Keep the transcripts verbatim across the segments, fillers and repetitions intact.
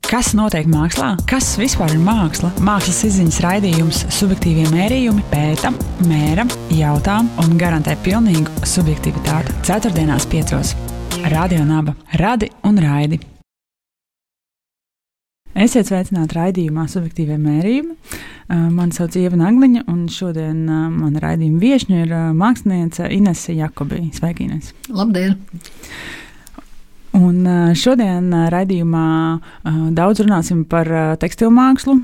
Kas notiek mākslā? Kas vispār ir māksla? Mākslas izziņas raidījums Subjektīvie mērījumi pēta, mēra, jautā un garantē pilnīgu subjektivitāti. Ceturtdienās piecos. Radio Naba. Radi un raidi. Esiet sveicināti raidījumā Subjektīvie mērījumi. Mani sauc Ieva Nagliņa, un šodien mana raidījuma viešņa ir māksliniece Inese Jakobī. Sveiki, Ines! Labdien! Un šodien raidījumā daudz runāsim par tekstilmākslu,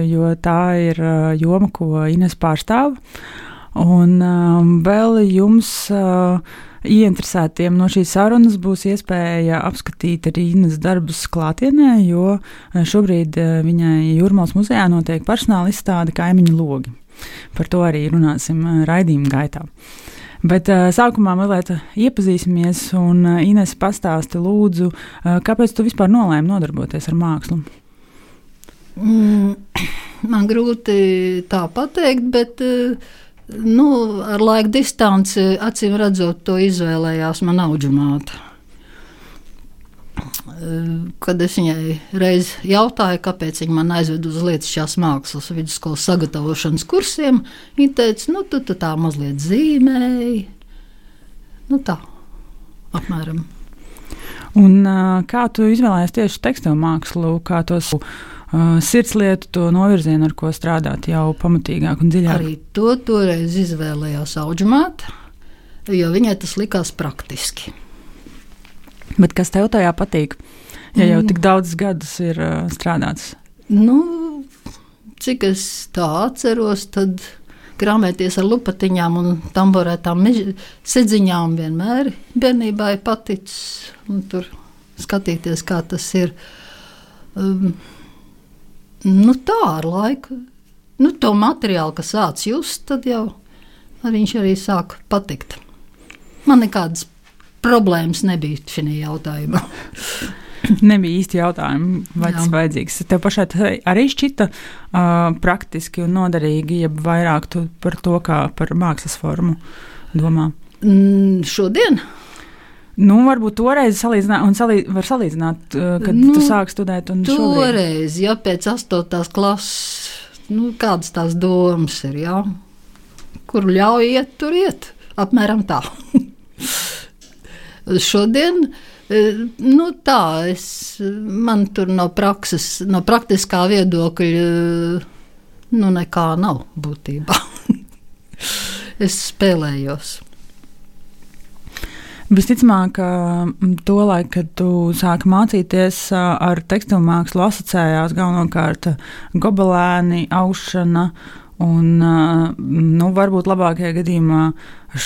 jo tā ir joma, ko Ines pārstāv. Un vēl jums ieinteresētiem no šīs sarunas būs iespēja apskatīt arī Ines darbus klātienē, jo šobrīd viņai Jūrmālas muzejā notiek personāla izstāde Kaimiņu logi. Par to arī runāsim raidījuma gaitā. Bet uh, sākumā mazliet iepazīsimies, un uh, Ines pastāsti lūdzu, uh, kāpēc tu vispār nolēmi nodarboties ar mākslu? Mm, man grūti tā pateikt, bet uh, nu, ar laika distanci acīm redzot to izvēlējās man audžumāte. Uh, kad es viņai reiz jautāju, kāpēc viņa man aizved uz Lietišķās mākslas vidusskolas sagatavošanas kursiem, viņa teica, nu tu, tu tā mazliet zīmēji, nu tā, apmēram. Un uh, kā tu izvēlējies tieši tekstilmākslu, kā tos uh, sirdslietu, to novirzienu, ar ko strādāt jau pamatīgāk un dziļāk? Arī to toreiz izvēlējās audžumāte, jo viņai tas likās praktiski. Bet kas tev tajā patīk, ja jau tik daudz gadus ir uh, strādāts? Nu, cik es tā atceros, tad grāmēties ar lupatiņām un tamborētām sedziņām vienmēr bērnībā ir paticis. Un tur skatīties, kā tas ir. Um, nu tā ar laiku. Nu, to materiālu, kas sāc just, tad jau viņš arī sāk patikt. Man nekādas problēmas nebija šajā jautājumā. Nebija īsti jautājumi, vai tas vajadzīgs. Tev pašai arī šķita uh, praktiski un noderīgi, ja vairāk tu par to kā par mākslas formu domā? Mm, šodien? Nu, varbūt toreiz salīdzināt, un salī, var salīdzināt, uh, kad nu, tu sāk studēt un šobrīd. Toreiz, ja pēc astotās klases, nu, kādas tās domas ir, jā? Kur ļauj iet, tur iet. Apmēram tā. Šodien, nu tā, es, man tur no prakses, no praktiskā viedokļa, nu nekā nav būtībā. Es spēlējos. Visticamāk, to laiku, kad tu sāki mācīties ar tekstilmākslu, asociējās galvenokārt gobelēni, aušana un, nu, varbūt labākajā gadījumā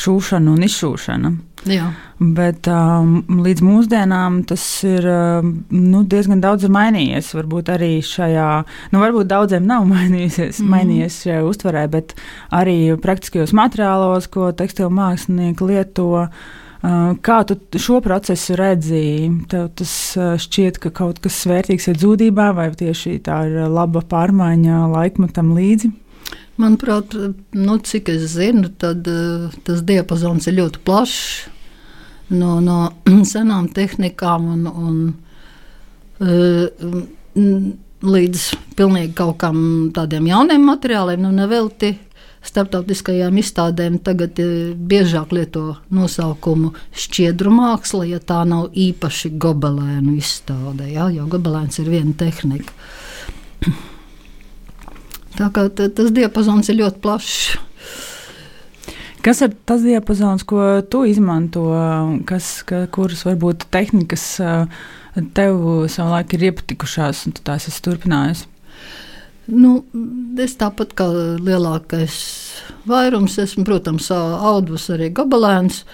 šūšana un izšūšana. Jā. Bet um, līdz mūsdienām tas ir nu, diezgan daudz ir mainījies. Varbūt arī šajā, nu varbūt daudziem nav mainījies, mm. mainījies šajā uztverē, bet arī praktiskajos materiālos, ko tekstilmākslinieki lieto. Uh, kā tu šo procesu redzi? Tev tas šķiet, ka kaut kas vērtīgs ir zūdībā, vai tieši tā ir laba pārmaiņa laikmetam līdzi? Manuprāt, nu, cik es zinu, tad uh, tas diapazons ir ļoti plašs no, no senām tehnikām un, un uh, līdz pilnīgi kaut kam tādiem jauniem materiāliem. Nu, nevelti starptautiskajām izstādēm tagad uh, biežāk lieto nosaukumu šķiedru māksla, ja tā nav īpaši gobelēnu izstāde, ja? Jo gobelēns ir viena tehnika. Tā kā tas diapazons ir ļoti plašs. Kas ir tas diapazons, ko tu izmanto, kas, ka, kuras varbūt tehnikas tev savulaik ir iepatikušās un tu tās esi turpinājusi? Nu, es tāpat kā lielākais vairums esmu, protams, audus arī gobelēns,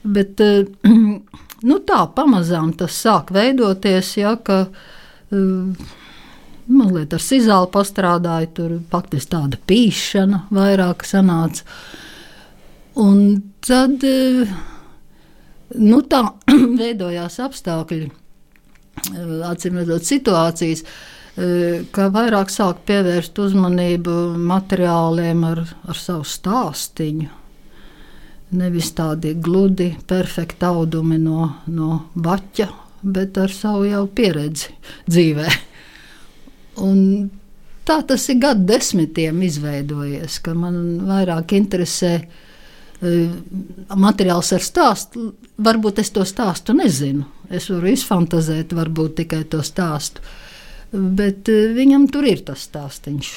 bet nu tā pamazām tas sāk veidoties, ja, ka mazliet ar sizāli pastrādāju, tur faktiski tāda pīšana vairāk sanāca. Un tad, nu tā veidojās apstākļi, acīm redzot situācijas, ka vairāk sāk pievērst uzmanību materiāliem ar, ar savu stāstiņu. Nevis tādi gludi, perfekti audumi no, no baķa, bet ar savu jau pieredzi dzīvē. un tā tas ir gadu desmitiem izveidojies, ka man vairāk interesē uh, materiāls ar stāstu. Varbūt es to stāstu nezinu. Es varu izfantazēt, varbūt tikai to stāstu. Bet uh, viņam tur ir tas stāstiņš.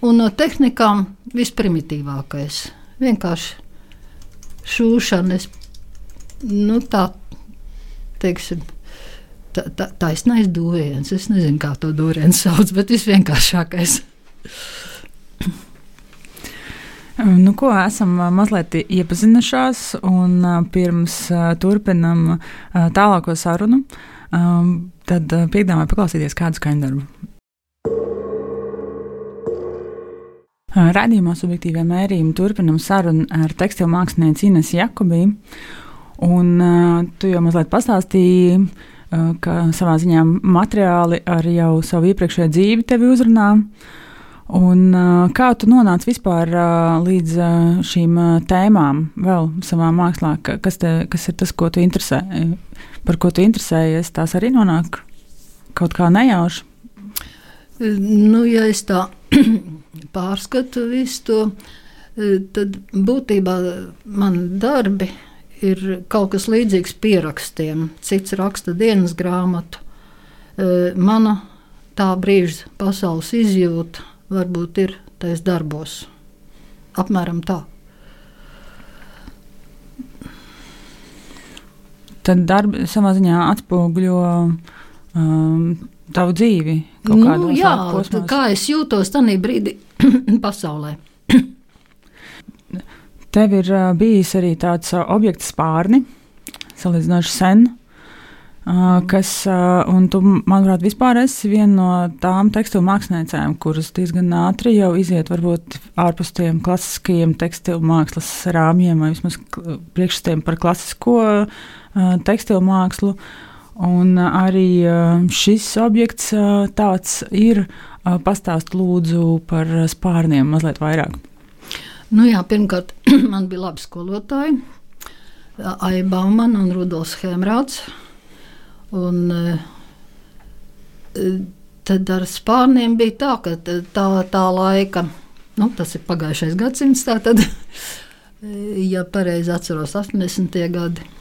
Un no tehnikām visprimitīvākais. Vienkārši šūšana, es, nu tā, teiksim, tā, tā, taisnais dūriens. Es nezinu, kā to dūrienu sauc, bet visvienkāršākais. Nu, ko esam mazliet iepazinušās, un pirms turpinam tālāko sarunu, tad piedāvāju paklausīties kādu skaņdarbu. Raidījumā Subjektīvie mērījumi turpinam sarunu ar tekstilu mākslinieci Inesu Jakobī. Un uh, tu jau mazliet pastāstīji, uh, ka savā ziņā materiāli ar jau savu iepriekšējo dzīvi tevi uzrunā. Un uh, kā tu nonāci vispār uh, līdz uh, šīm uh, tēmām vēl savā mākslā? Kas, te, kas ir tas, ko tu interesē, par ko tu interesējies? Tās arī nonāk kaut kā nejauši? Nu, ja es tā pārskatu visu to, tad būtībā man darbi ir kaut kas līdzīgs pierakstiem. Cits raksta dienas grāmatu. Mana tā brīža pasaules izjūta varbūt ir tais darbos. Apmēram tā. Tad darbi savā ziņā atspoguļo um, tavu dzīvi kaut nu, kādos jā, posmos. Kā es jūtos tajā brīdī pasaulē. Tev ir uh, bijis arī tāds uh, objekts spārni, salīdzinoši sen, uh, kas, uh, un tu, manuprāt, vispār esi viena no tām tekstilu māksliniecēm, kuras diezgan ātri jau iziet varbūt ārpus tiem klasiskajiem tekstilu mākslas rāmjiem, vai vismaz priekšstatiem par klasisko uh, tekstilu mākslu. Un arī šis objekts tāds ir. Pastāst lūdzu par spārniem mazliet vairāk. Nu jā, pirmkārt, man bija labi skolotāji. Aija Baumana un Rudolfs Hemrāds. Un tad ar spārniem bija tā, ka tā, tā laika, nu tas ir pagājušais gadsimts, tā tad, ja pareizi atceros, astoņdesmitie gadi.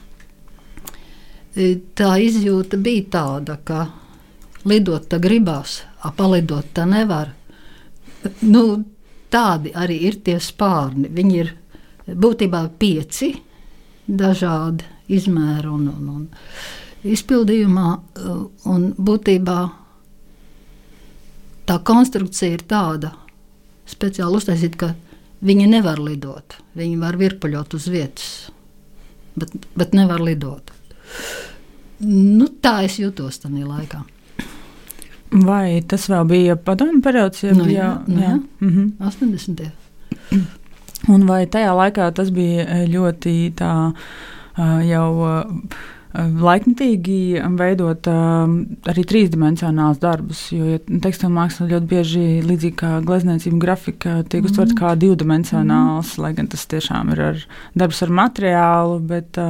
Tā izjūta bija tāda, ka lidot tā gribās, a palidot tā nevar. Nu, tādi arī ir tie spārni. Viņi ir būtībā pieci dažādi izmēri un, un, un izpildījumā. Un būtībā tā konstrukcija ir tāda speciāli uztaisīta, ka viņi nevar lidot. Viņi var virpuļot uz vietas, bet, bet nevar lidot. Nu, tā es jutos tajā laikā. Vai tas vēl bija padomju periods? Ja nu, bija, jā, nu, jā. Mhm. astoņdesmitie. Un vai tajā laikā tas bija ļoti tā jau laikmetīgi veidot arī trīsdimensionāls darbus, jo tekstilu māksla ļoti bieži līdzīgi kā glezniecība, grafika tiek uztverta kā divdimensionāls, lai gan tas tiešām ir ar darbs ar materiālu, bet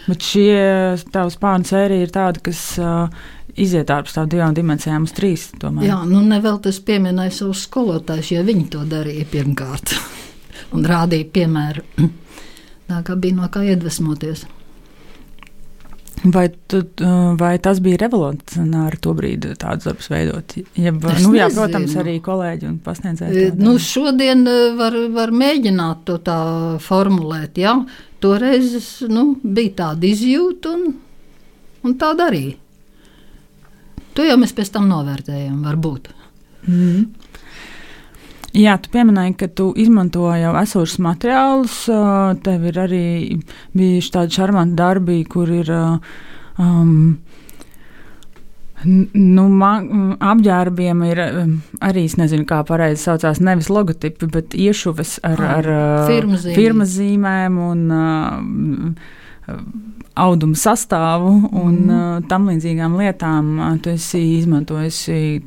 Bet šie tavs spārnu sērija ir tāda, kas uh, iziet ārpus tām divām dimensijām uz trīs, domāju. Jā, nu nevēl tas pieminēja savus skolotājus, jo viņi to darīja pirmkārt un rādīja piemēru. Tā kā bija no kā iedvesmoties. Vai, tu, vai tas bija revolucionāri to brīdi tādus darbus veidot? Ja, nu, jā, protams, arī kolēģi un pasniedzēji. Nu, šodien var, var mēģināt to tā formulēt, jā. Toreiz nu, bija tāda izjūta un, un tā darīja. To jau mēs pēc tam novērtējam, varbūt. Mm. Jā, tu pieminēji, ka tu izmanto jau esošus materiālus. Tev ir arī bijuši tādi šarmanti darbi, kur ir um, nu, ma- apģērbiem ir arī, es nezinu, kā pareizi saucās, nevis logotipi, bet iešuves ar, ar firmas firmas zīmēm un uh, audumu sastāvu un mm. uh, tam līdzīgām lietām. Tu esi izmantojusi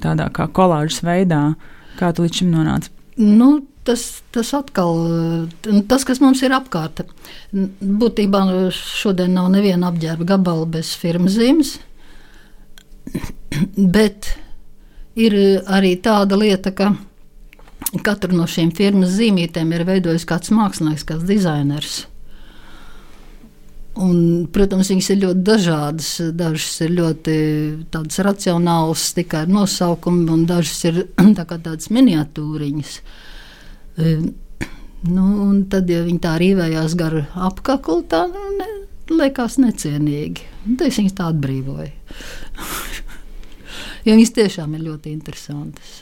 tādā kā kolāžas veidā. Kā tu līdz šim nonāci? Nu, tas, tas atkal, tas, kas mums ir apkārt. Būtībā šodien nav neviena apģērba gabala bez firmas zīmes, bet ir arī tāda lieta, ka katru no šīm firmas zīmītēm ir veidojis kāds mākslinieks, kāds dizainers. Un, protams, viņas ir ļoti dažādas. Dažas ir ļoti tādas racionālas, tikai ar nosaukumu, un dažas ir tā kā tādas miniatūriņas. Nu, un tad, ja viņi tā rīvējās gar apkaklu, tā ne, liekas necienīgi. Un tad es viņas tā atbrīvoju. Jo viņas tiešām ir ļoti interesantas.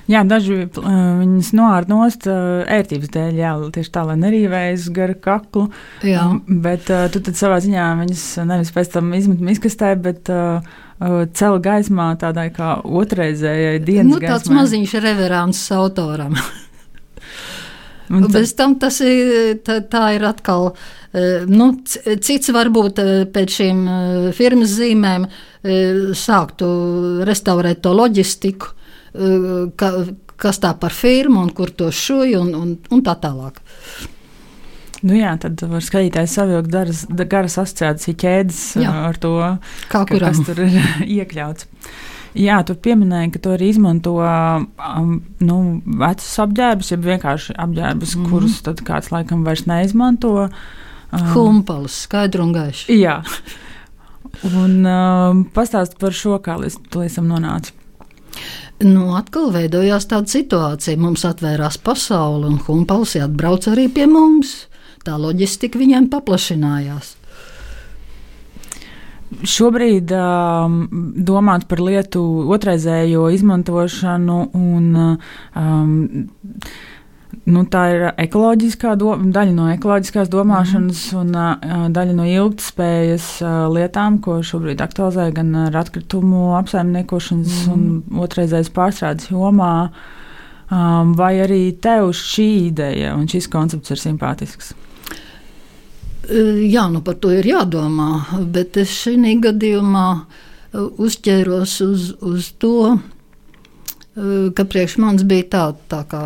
Jā, daži uh, viņas noārt nost uh, ērtības dēļ, jā, tieši tā, lai nerīvējas gar kaklu. Jā. Um, bet uh, tu tad savā ziņā viņas nevis pēc tam izmet miskastē, bet uh, uh, cel gaismā tādai kā otrreizējai dienas nu, gaismai. Tāds maziņš reverants autoram. Un bez tam tas ir, tā, tā ir atkal, nu, cits varbūt pēc šīm firmas zīmēm sāktu restaurēt to loģistiku, ka, kas tā par firmu un kur to šuj un, un, un tā tālāk. Nu jā, tad var skatītājs savilkt garas, garas asociāciju ķēdes jā. Ar to, kā ka, kas tur ir iekļauts. Jā, tu pieminēji, ka tu arī izmanto um, nu, vecus apģērbus, ja vienkārši apģērbus, mm. kurus tad kāds laikam vairs neizmanto. Um, Humpalus, skaidru un gaišu. Jā. Un um, pastāst par šo, kā līdz tam nonāci. Nu, atkal veidojās tāda situācija. Mums atvērās pasaule un Humpals atbrauc arī pie mums. Tā loģistika viņiem paplašinājās. Šobrīd um, domāt par lietu otrreizējo izmantošanu un um, nu, tā ir ekoloģiskā do, daļa no ekoloģiskās domāšanas mm. un uh, daļa no ilgtspējas uh, lietām, ko šobrīd aktualizē gan ar atkritumu apsaimniekošanas mm. un otrreizējas pārstrādes jomā. Um, vai arī tev šī ideja un šis koncepts ir simpātisks? Jā, nu par to ir jādomā, bet es šī gadījumā uzķēros uz, uz to, ka priekš manis bija tā, tā kā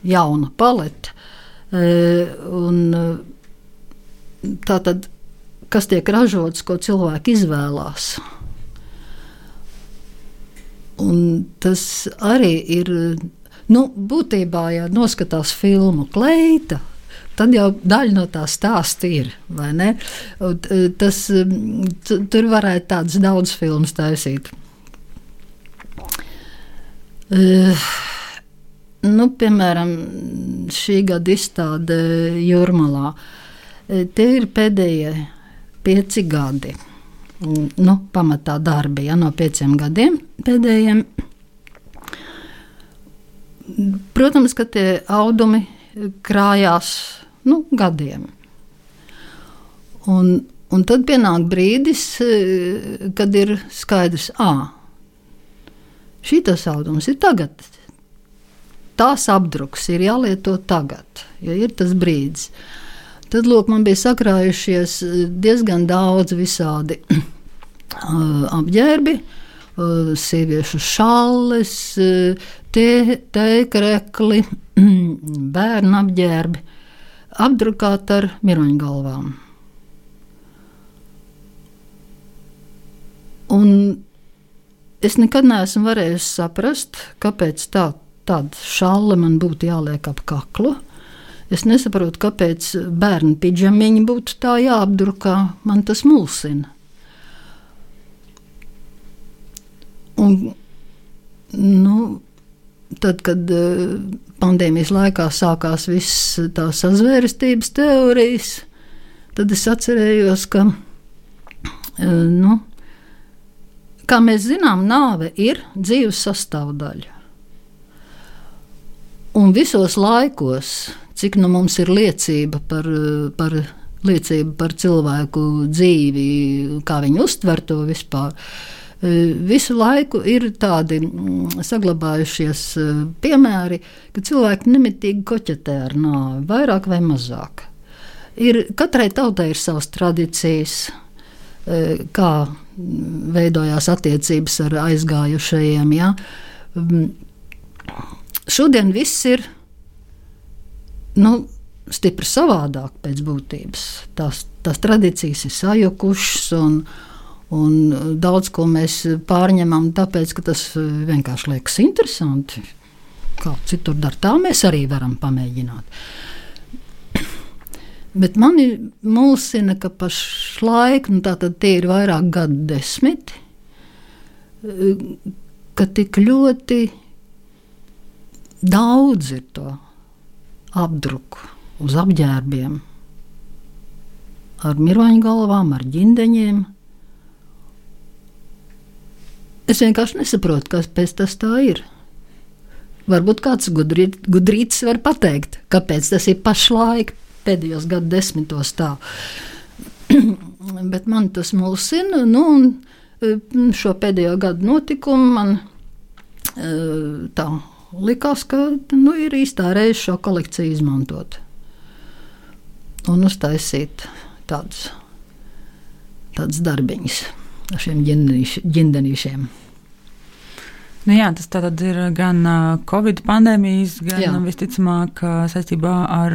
jauna palete. Un tā tad, kas tiek ražots, ko cilvēki izvēlās. Un tas arī ir, nu, būtībā, ja noskatās filmu Kleita, tad jau daļa no tā stāsta ir, vai ne? Un tas, tur varētu tādas daudz filmas taisīt. Uh, nu, piemēram, šī gada izstāde Jūrmalā. Tie ir pēdējie pieci gadi. Nu, pamatā darbi, ja, no pieciem gadiem pēdējiem. Protams, ka tie audumi krājās nu, gadiem. Un, un tad pienāk brīdis, kad ir skaidrs, ā, šitas audums ir tagad. Tās apdruks ir jālieto tagad, jo ir tas brīdis. Tad, lūk, man bija sakrājušies diezgan daudz visādi apģērbi, sieviešu šalles, tēkrekli, bērnu apģērbi, apdrukāt ar miroņgalvām. Un es nekad neesmu varējusi saprast, kāpēc tā, tāda šalle man būtu jāliek ap kaklu. Es nesaprotu, kāpēc bērnu pidžamiņi būtu tā jāapdrukā. Man tas mulsina. Un, nu, tad, kad pandēmijas laikā sākās viss tās sazvērestības teorijas, tad es atcerējos, ka, nu, kā mēs zinām, nāve ir dzīves sastāvdaļa. Un visos laikos, cik nu mums ir liecība par, par, liecība par cilvēku dzīvi, kā viņi uztver to vispār, visu laiku ir tādi saglabājušies piemēri, ka cilvēki nemitīgi koķetē ar nāvi, vairāk vai mazāk. Ir, katrai tautai ir savas tradīcijas, kā veidojās attiecības ar aizgājušajiem. Ja? Šodien viss ir nu, stipri savādāk pēc būtības. Tās, tās tradīcijas ir sajukušas un Un daudz ko mēs pārņemam, tāpēc, ka tas vienkārši liekas interesanti. Kā citur dara, tā mēs arī varam pamēģināt. Bet mani mulsina, ka pašlaik, nu tātad tie ir vairāk gadu desmiti, ka tik ļoti daudz ir to apdruku uz apģērbiem ar mirvaņu galvām, ar ģindeņiem. Es vienkārši nesaprotu, kāpēc tas tā ir. Varbūt kāds gudrīt, gudrītis var pateikt, kāpēc tas ir pašlaik pēdējos gadu desmitos tā. Bet man tas mulsina, nu, un šo pēdējo gadu notikumu man tā likās, ka nu, ir īstā reize šo kolekciju izmantot un uztaisīt tādus, tādus darbiņus ar šiem ģindenīšiem. Nu jā, tas tātad ir gan Covid pandēmijas, gan jā. Visticamāk saistībā ar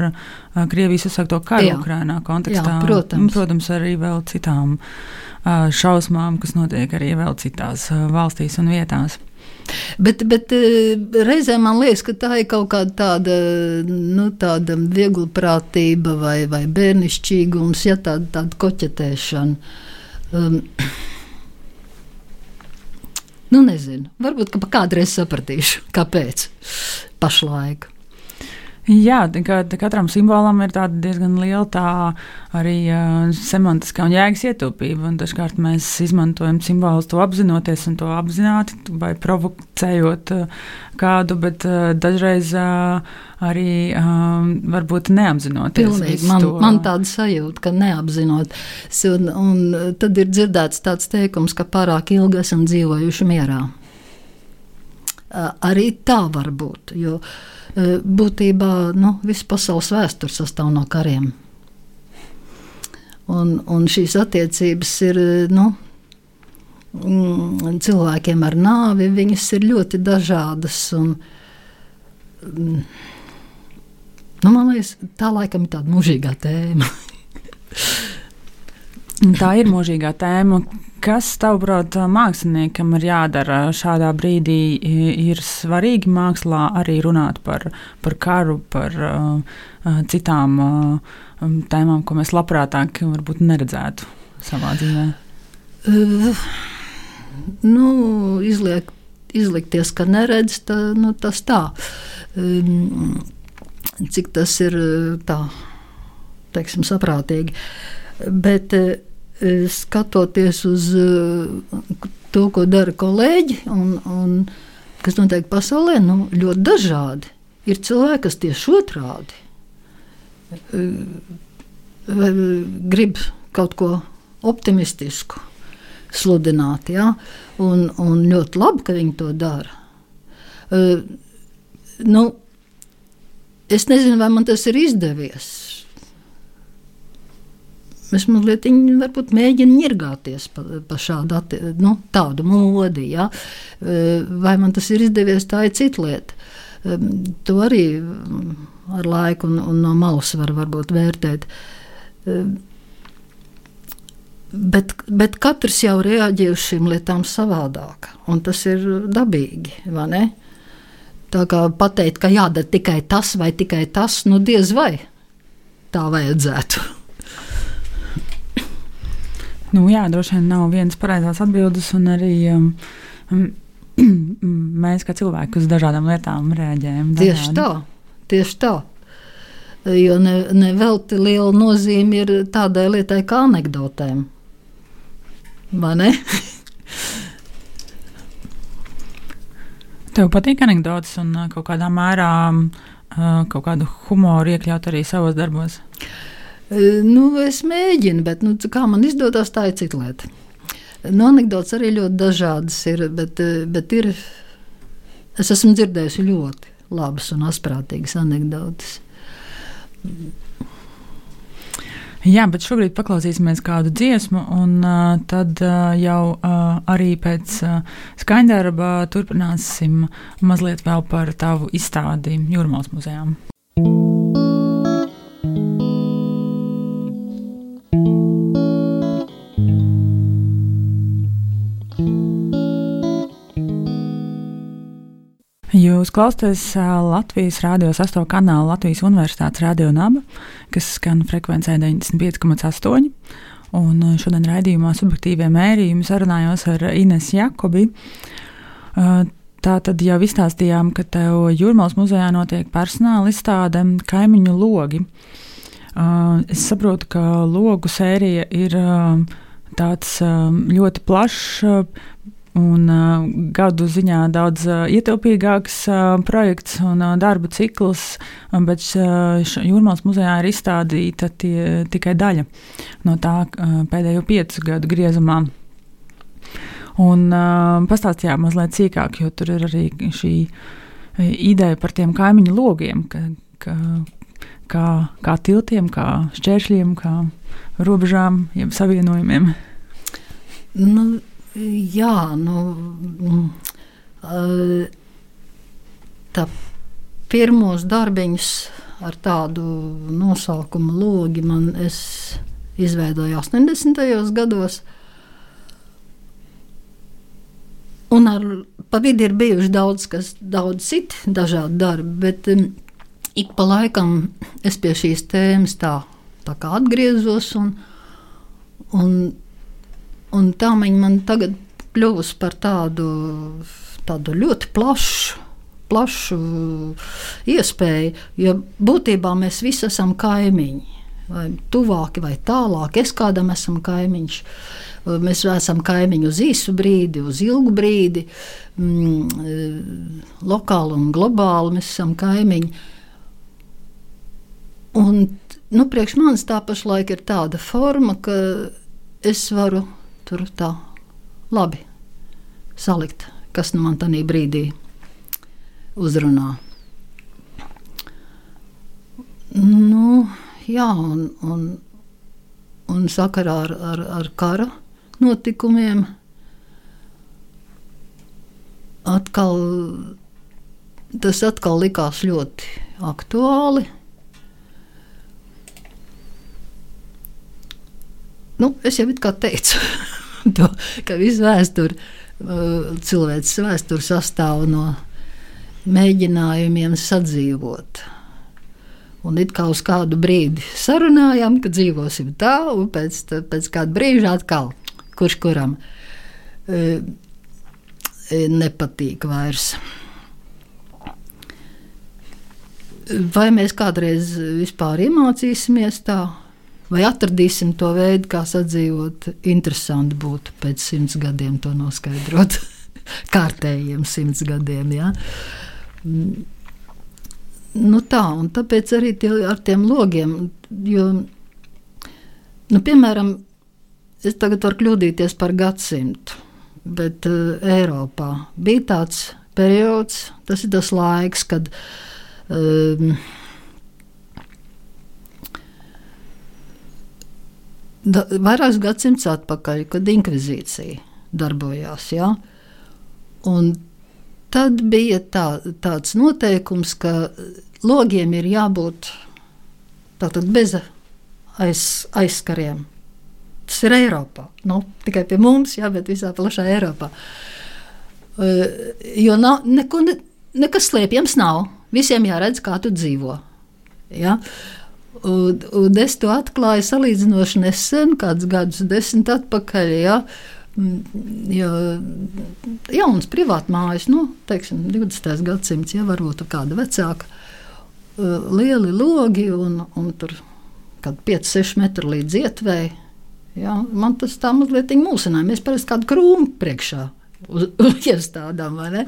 Krievijas uzsākto karu jā. Ukrainā kontekstā. Jā, protams. Protams, arī vēl citām šausmām, kas notiek arī vēl citās valstīs un vietās. Bet, bet reizē man liekas, ka tā ir kaut kāda tāda, nu, tāda vieglprātība vai, vai bērnišķīgums, ja tāda, tāda koķetēšana. Um, Nu, nezinu. Varbūt, ka kādreiz sapratīšu, kāpēc pašlaik. Jā, ka katram simbolam ir tāda diezgan liela tā arī uh, semantiskā un jēgas ietaupība. Un dažkārt mēs izmantojam simbolus to apzinoties un to apzināti vai provocējot uh, kādu, bet uh, dažreiz uh, arī uh, varbūt neapzinoties. Pilnīgi. Man, man tāda sajūta, ka neapzinot. Un, un tad ir dzirdēts tāds teikums, ka pārāk ilgi esam dzīvojuši mierā. Uh, arī tā var būt, jo būtībā nu, visa pasaules vēsture sastāv no kariem. Un, un šīs attiecības ir nu, cilvēkiem ar nāvi, viņas ir ļoti dažādas. Un, nu, man liekas, tā laikam ir tāda mūžīgā tēma. Tā ir mūžīgā tēma. Kas, tavuprāt, māksliniekam ir jādara šādā brīdī? Ir svarīgi mākslā arī runāt par, par karu, par uh, citām uh, tēmām, ko mēs labprātāk varbūt neredzētu savā dzīvē? Uh, nu, izliek, izlikties, ka neredz, tā, nu, tas tā. Um, cik tas ir tā, teiksim, saprātīgi. Bet skatoties uz to, ko dara kolēģi un, un kas notiek pasaulē, nu, ļoti dažādi. Ir cilvēki, kas tieši otrādi grib kaut ko optimistisku sludināt, ja? un, un ļoti labi, ka viņi to dara. Nu, es nezinu, vai man tas ir izdevies. Es mazliet varbūt mēģinu ņirgāties pa, pa šādu atti, nu, tādu modi, ja? Vai man tas ir izdevies, tā ir cita lieta. To arī ar laiku un, un no malas var varbūt vērtēt. Bet, bet katrs jau reaģē uz šīm lietām savādāk, un tas ir dabīgi, vai ne? Tā kā pateikt, ka jādara tikai tas vai tikai tas, nu diez vai tā vajadzētu. Nu, jā, droši vien nav vienas pareizās atbildes, un arī um, mēs kā cilvēki uz dažādām lietām reaģējam. Tieši tā, tieši tā. Jo ne, ne velti liela nozīme ir tādai lietai kā anekdotēm. Vai ne? Tev patīk anekdotes un kaut kādā mērā kaut kādu humoru iekļaut arī savos darbos? Nu, es mēģinu, bet nu, kā man izdodas, tā ir cita lieta. Nu, anekdotes arī ļoti dažādas ir, bet, bet ir, es esmu dzirdējusi ļoti labas un asprātīgas anekdotes. Jā, bet šobrīd paklausīsimies kādu dziesmu, un uh, tad uh, jau uh, arī pēc uh, skaņdarba turpināsim mazliet vēl par tavu izstādi Jūrmālas muzejā. Jūs klausāties Latvijas radio sesto kanālu Latvijas Universitātes radio naba, kas skan frekvencē deviņdesmit pieci komats astoņi. Un šodien raidījumā subjektīvie mērījumi sarunājos ar Inesu Jakobi. Tā tad jau izstāstījām, ka tev Jūrmalas muzejā notiek personāla izstāde Kaimiņu logi. Es saprotu, ka logu sērija ir tāds ļoti plašs un uh, gadu ziņā daudz uh, ietilpīgāks uh, projekts un uh, darba cikls, bet uh, Jūrmalas muzejā ir izstādīta tie, tikai daļa no tā uh, pēdējo piecu gadu griezumā. Un uh, pastāstījām mazliet sīkāk, jo tur ir arī šī ideja par tiem kaimiņu logiem, ka, ka, kā, kā tiltiem, kā šķēršļiem, kā robežām, jeb savienojumiem. Nu, Jā, nu, tā pirmos darbiņus ar tādu nosaukumu logi man es izveidoju astoņdesmitajos gados. Un ar pa vidi ir bijuši daudz, kas, daudz citi dažādi darbi, bet um, ik pa laikam es pie šīs tēmas tā, tā kā atgriezos un, un Un tā viņa man tagad kļuvusi par tādu, tādu ļoti plašu, plašu iespēju, jo būtībā mēs visi esam kaimiņi, vai tuvāki vai tālāki. Es kādam esam kaimiņš. Mēs esam kaimiņi uz īsu brīdi, uz ilgu brīdi, mm, lokāli un globāli mēs esam kaimiņi. Un, nu, priekš manis tā pašlaik ir tāda forma, ka es varu tur tā labi salikt, kas nu man tanī brīdī uzrunā. Nu, jā, un, un, un sakarā ar, ar, ar kara notikumiem atkal, tas atkal likās ļoti aktuāli. Nu, es jau it kā teicu, to, ka visu vēsturi, cilvēces vēsturi sastāv no mēģinājumiem sadzīvot. Un it kā uz kādu brīdi sarunājām, ka dzīvosim tā, un pēc, pēc kāda brīža atkal, kurš kuram e, nepatīk vairs. Vai mēs kādreiz vispār iemācīsimies tā? Vai atradīsim to veidu, kā sadzīvot? Interesanti būtu pēc simts gadiem to noskaidrot. Kārtējiem simts gadiem, jā. Nu tā, un tāpēc arī tie, ar tiem logiem, jo, nu, piemēram, es tagad varu kļūdīties par gadsimtu, bet uh, Eiropā bija tāds periods, tas ir tas laiks, kad um, Da, vairākus gadsimtus atpakaļ, kad inkvizīcija darbojās, ja? Un tad bija tā, tāds noteikums, ka logiem ir jābūt tātad bez aiz, aizskariem. Tas ir Eiropā, nu, tikai pie mums, ja, bet visā plašā Eiropā. Uh, jo nav, neko, ne, nekas slēpjams nav, visiem jāredz, kā tu dzīvo, ja? Un, un es to atklāju salīdzinoši nesen, kāds gadus desmit atpakaļ, ja, jo jauns privātmājas, nu, teiksim, divdesmitais gadsimts, ja, varbūt kāda vecāka, lieli logi un, un tur kādi pieci seši metri līdz ietvēji, ja, man tas tā mazliet mūsināja, mēs parasti kādu krūmu priekšā uz, iestādām, vai ne,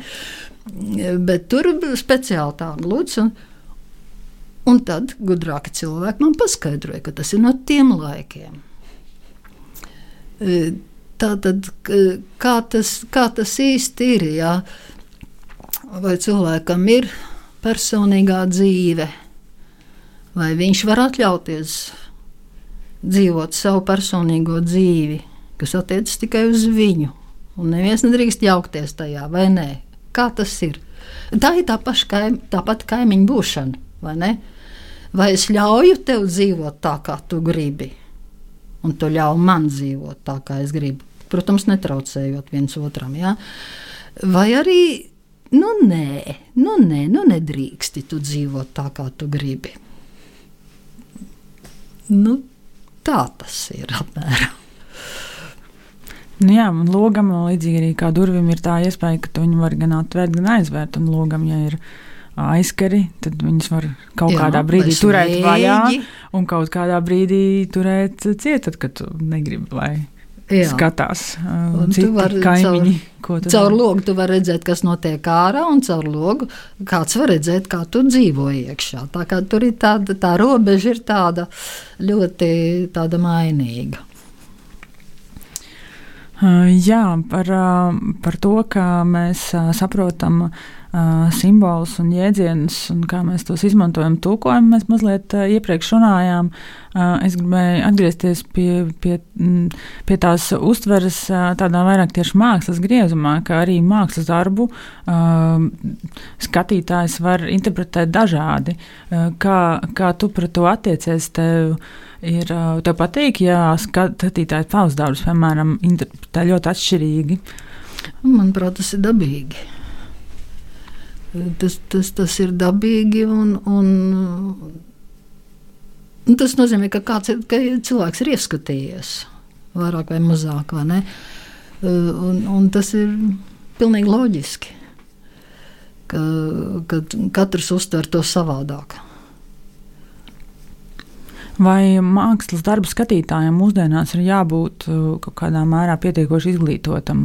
bet tur speciāli tā glūds un Un tad gudrāki cilvēki man paskaidroja, ka tas ir no tiem laikiem. Tātad, kā tas, kā tas īsti ir, jā? Vai cilvēkam ir personīgā dzīve, vai viņš var atļauties dzīvot savu personīgo dzīvi, kas attiecas tikai uz viņu, un neviens nedrīkst jaukties tajā, vai nē? Kā tas ir? Tā ir tā paša kaim, tā pati kaimiņu būšana, vai ne? Vai es ļauju tev dzīvot tā, kā tu gribi, un tu ļauj man dzīvot tā, kā es gribu? Protams, netraucējot viens otram, ja? Vai arī nu nē, nu nē, nu nedrīksti tu dzīvot tā, kā tu gribi. Nu, tā tas ir apmēram. Nu jā, un logam līdzīgi arī kā durvim ir tā iespēja, ka tu viņu var gan atvērt, gan aizvērt, un logam, ja ir aizkari, tad viņus var kaut jā, kādā brīdī turēt vēji. Vaļā, un kaut kādā brīdī turēt ciet, tad, kad tu negribi, lai jā. Skatās uh, citi kaimiņi. Caur, caur logu tu vari redzēt, kas notiek ārā, un caur logu kāds var redzēt, kā tu dzīvo iekšā. Tā kā tur ir tāda, tā robeža ir tāda ļoti tāda mainīga. Uh, jā, par, uh, par to, kā mēs uh, saprotam uh, simbolus un jēdzienus un kā mēs tos izmantojam tulkojumu, mēs mazliet uh, iepriekš runājām. Uh, es gribēju atgriezties pie, pie, m, pie tās uztveres uh, tādā vairāk tieši mākslas griezumā, ka arī mākslas darbu uh, skatītājs var interpretēt dažādi. Uh, kā, kā tu pret to attiecies, tev ir, tev patīk, ja skatītāji tavs darbus, piemēram, interpretē ļoti atšķirīgi? Manuprāt, tas ir dabīgi. Tas, tas, tas ir dabīgi un, un, un tas nozīmē, ka, kāds ir, ka cilvēks ir ieskatījies vairāk vai mazāk, vai ne? Un, un tas ir pilnīgi loģiski, ka, ka katrs uztver to savādāk. Vai mākslas darbu skatītājiem mūsdienās ir jābūt kaut kādā mērā pietiekoši izglītotam,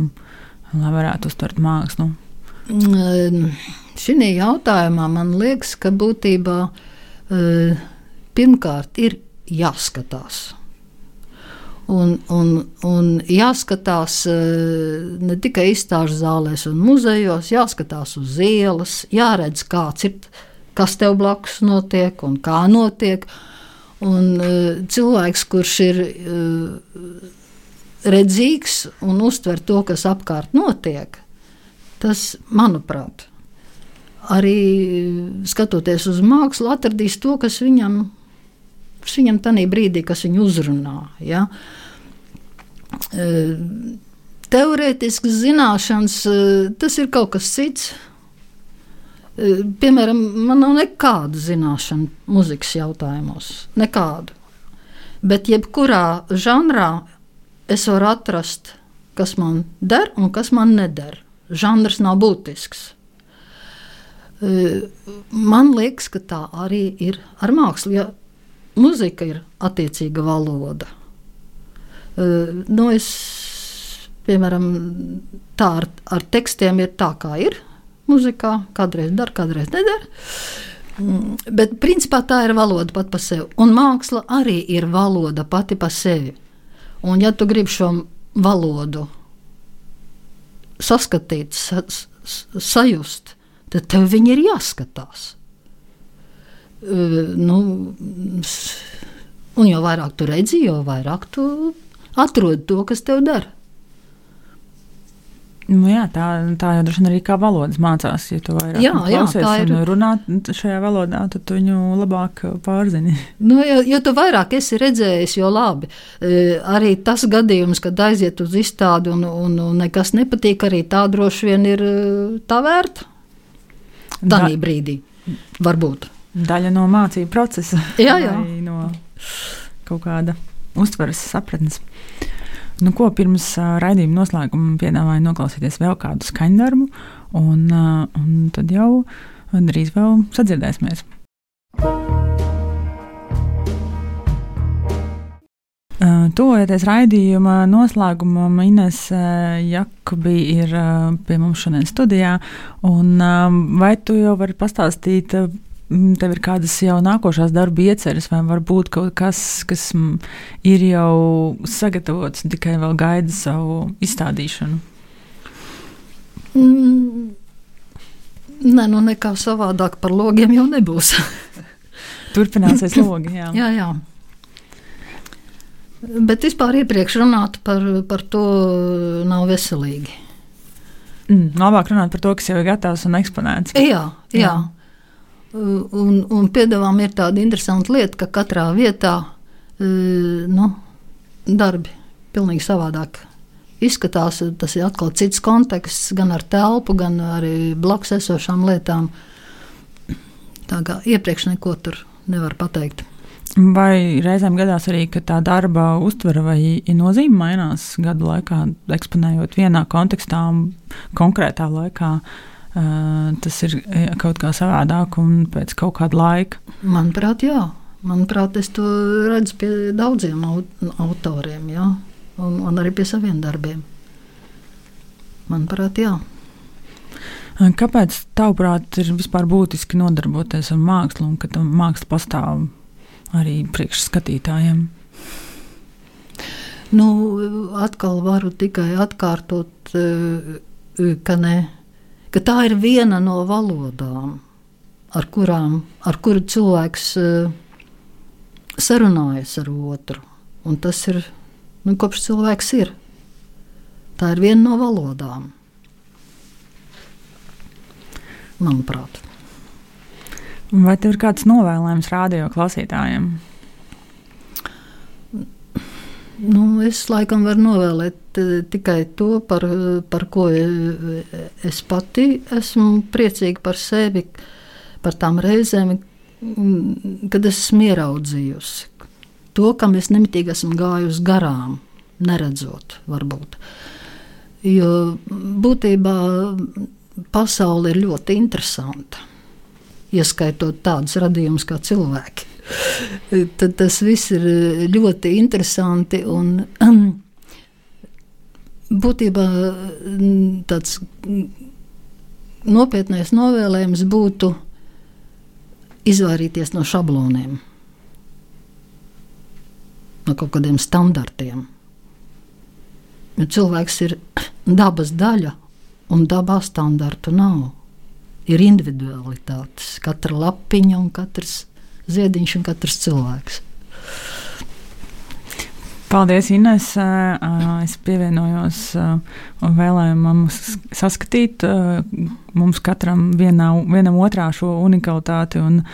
lai varētu uztvert mākslu? Šī jautājumā man liekas, ka būtībā pirmkārt ir jāskatās. Un, un, un jāskatās ne tikai izstāžu zālēs un muzejos, jāskatās uz ielas, jāredz, kāds ir, kas tev blakus notiek un kā notiek. Un uh, cilvēks, kurš ir uh, redzīgs un uztver to, kas apkārt notiek, tas, manuprāt, arī skatoties uz mākslu, atradīs to, kas viņam, kas viņam tanī brīdī, kas viņu uzrunā. Ja? Uh, teorētiskas zināšanas, uh, tas ir kaut kas cits. Piemēram, man nav nekādu zināšanu muzikas jautājumos. Nekādu. Bet jebkurā žanrā es varu atrast, kas man der un kas man neder. Žanrs nav būtisks. Man liekas, ka tā arī ir ar mākslu. Ja muzika ir attiecīga valoda. Nu, es, piemēram, tā ar, ar tekstiem ir tā, kā ir. Muzikā kādreiz dar, kādreiz nedara. Bet principā tā ir valoda pat pa sevi. Un māksla arī ir valoda pati pa sevi. Un ja tu gribi šo valodu saskatīt, sa, sajust, tad tev viņi ir jāskatās. Nu, un jo vairāk tu redzi, jo vairāk tu atrodi to, kas tev dara. Nu jā, tā, tā jau droši vien arī kā valodas mācās. Ja tu vairāk jā, klausies jā, ir... un runā šajā valodā, tad tu viņu labāk pārzini. Nu, jo, jo tu vairāk esi redzējis, jo labi. E, arī tas gadījums, kad aiziet uz izstādi un, un, un nekas nepatīk, arī tā droši vien ir tā vērta. Tanī da... brīdī, varbūt. Daļa no mācību procesa. Jā, jā. No kaut kāda uztveres sapratnes. Nu, ko pirms uh, raidījuma noslēguma piedāvāju noklausīties vēl kādu skaņdarbu, un, uh, un tad jau drīz vēl sadzirdēsimies. Uh, Tuvojoties raidījuma noslēgumam, Ines uh, Jakubi ir uh, pie mums šodien studijā, un uh, vai tu jau vari pastāstīt, uh, tev ir kādas jau nākošās darba ieceres, vai varbūt kaut kas, kas ir jau sagatavots un tikai vēl gaida savu izstādīšanu? Mm, nē, nu nekā savādāk par logiem jau nebūs. Turpināsies logi, jā. jā, jā. Bet vispār iepriekš runāt par, par to nav veselīgi. Mm, labāk runāt par to, kas jau ir gatavs un eksponēts. Jā, jā. jā. Un, un piedāvām ir tāda interesanta lieta, ka katrā vietā nu, darbi pilnīgi savādāk izskatās, tas ir atkal cits konteksts, gan ar telpu, gan arī blakus esošām lietām. Tā kā iepriekš neko tur nevar pateikt. Vai reizēm gadās arī, ka tā darba uztvere vai nozīme mainās gadu laikā, eksponējot vienā kontekstā un konkrētā laikā? Tas ir kaut kā savādāk un pēc kaut kāda laika? Manuprāt, jā. Manuprāt, es to redzu pie daudziem autoriem, jā. Un, un arī pie saviem darbiem. Manuprāt, jā. Kāpēc, tavuprāt, ir vispār būtiski nodarboties ar mākslu un ka māksla pastāv arī priekš skatītājiem? Nu, atkal varu tikai atkārtot, ka, ne, ka tā ir viena no valodām, ar kurām, ar kuru cilvēks sarunājas ar otru. Un tas ir, nu, kopš cilvēks ir. Tā ir viena no valodām. Manuprāt. Vai tev ir kāds novēlējums rādio klausītājiem? Nu, es laikam varu novēlēt tikai to, par, par ko es pati esmu priecīga par sevi, par tām reizēm, kad esmu ieraudzījusi. To, kam es nemitīgi esmu gājusi garām, neredzot varbūt. Jo būtībā pasaule ir ļoti interesanta. Ieskaitot tādus radījumus kā cilvēki. Tad tas viss ir ļoti interesanti un būtībā tāds nopietnais novēlējums būtu izvairīties no šabloniem, no kaut kādiem standartiem. Jo cilvēks ir dabas daļa un dabā standartu nav. Ir individualitātes, katra lapiņa un katrs ziediņš un katrs cilvēks. Paldies, Ines. Es pievienojos un vēlēju mums saskatīt mums katram vienā, vienam otrā šo unikalitāti un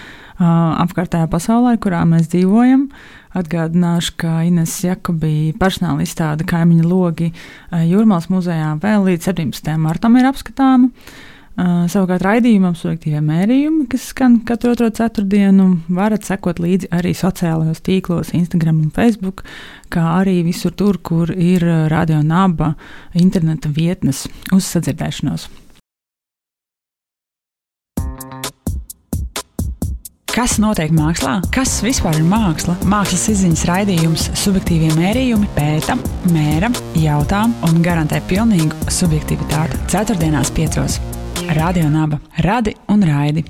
apkārtējā pasaulē, kurā mēs dzīvojam. Atgādināšu, ka Ines Jakobī personāla izstāde Kaimiņu logi Jūrmalas muzejā vēl līdz septiņpadsmitajam martam ir apskatāma. Uh, savukārt raidījumam subjektīvie mērījumi, kas skan katru otro ceturtdienu, varat sekot līdzi arī sociālajos tīklos, Instagram un Facebook, kā arī visur tur, kur ir Radio Naba interneta vietnes. Uz sadzirdēšanos! Kas notiek mākslā? Kas vispār ir māksla? Mākslas izziņas raidījums subjektīvie mērījumi pēta, mēra, jautā un garantē pilnīgu subjektivitāti. Ceturtdienās piecos. Radio Naba. Radi un raidi.